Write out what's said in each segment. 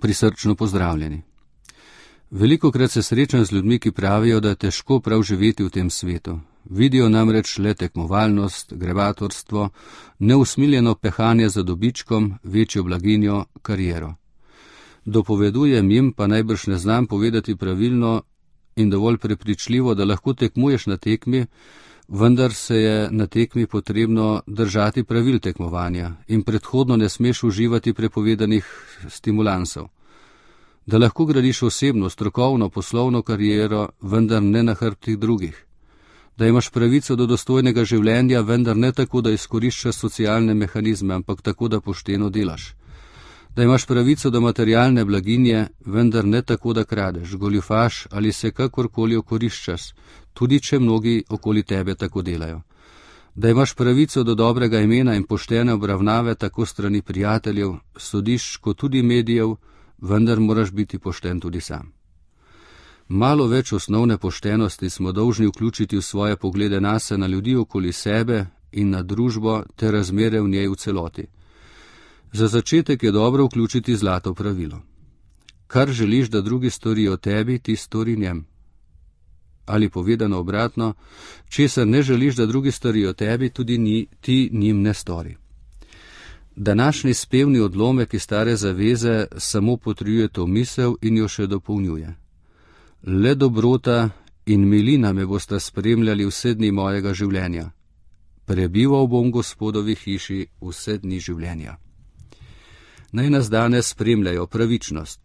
Prisrčno pozdravljeni. Velikokrat se srečam z ljudmi, ki pravijo, da je težko prav živeti v tem svetu. Vidijo namreč le tekmovalnost, grebatorstvo, neusmiljeno pehanje za dobičkom, večjo blaginjo, kariero. Dopovedujem jim, pa najbrž ne znam povedati pravilno in dovolj prepričljivo, da lahko tekmuješ na tekmi, vendar se je na tekmi potrebno držati pravil tekmovanja in predhodno ne smeš uživati prepovedanih stimulansov. Da lahko gradiš osebno, strokovno, poslovno kariero, vendar ne na hrbtih drugih. Da imaš pravico do dostojnega življenja, vendar ne tako, da izkoriščaš socialne mehanizme, ampak tako, da pošteno delaš. Da imaš pravico do materialne blaginje, vendar ne tako, da kradeš, goljufaš ali se kakorkoli okoriščaš, tudi če mnogi okoli tebe tako delajo. Da imaš pravico do dobrega imena in poštene obravnave tako strani prijateljev, sodišč kot tudi medijev, vendar moraš biti pošten tudi sam. Malo več osnovne poštenosti smo dolžni vključiti v svoje poglede nase, na ljudi okoli sebe in na družbo ter razmere v njej v celoti. Za začetek je dobro vključiti zlato pravilo. Kar želiš, da drugi storijo tebi, ti stori njem. Ali povedano obratno, česar ne želiš, da drugi storijo tebi, tudi ti njim ne stori. Današnji spevni odlomek iz Stare zaveze samo potrjuje to misel in jo še dopolnjuje. Le dobrota in milina me bosta spremljali vse dni mojega življenja. Prebival bom Gospodovi hiši vse dni življenja. Naj nas danes spremljajo pravičnost,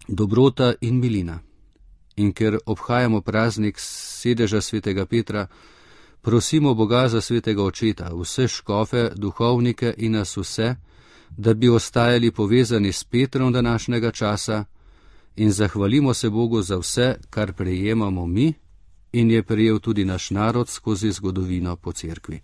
dobrota in milina. In ker obhajamo praznik sedeža svetega Petra, prosimo Boga za svetega očeta, vse škofe, duhovnike in nas vse, da bi ostajali povezani s Petrom današnjega časa in zahvalimo se Bogu za vse, kar prejemamo mi in je prejel tudi naš narod skozi zgodovino po cerkvi.